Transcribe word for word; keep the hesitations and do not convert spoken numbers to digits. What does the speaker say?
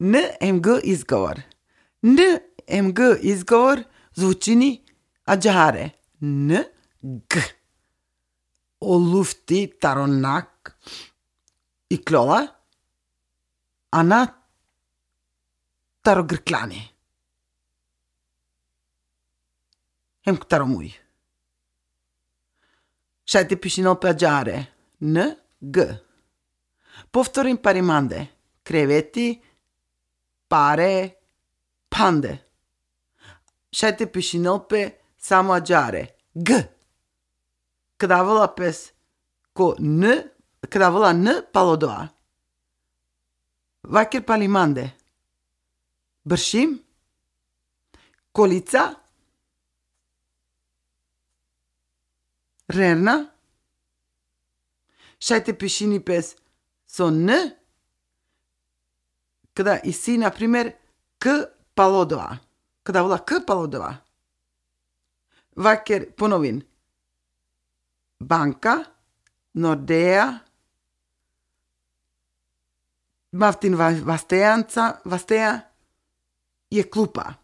N M G izgovor. N M G izgovor звучи аджаре. N G. O lufti taronak i klola. Ana tarogrklani. Hem taromui. Шайте пишинал паджаре. N G. Повторим париманде. Кревети, паре, панде. Шайте пишинал пе само аджаре. G. Кадавала пес ко N, кадавала N палодоа. Вакер палиманде. Бършим. Колица. Рерна. Шайте пишини пес со Н, когда иси, например, К палодоа. Когда вола К палодоа. Вакер поновин. Банка, Nordea, Maftin Vasteanca, Vastea je klupa.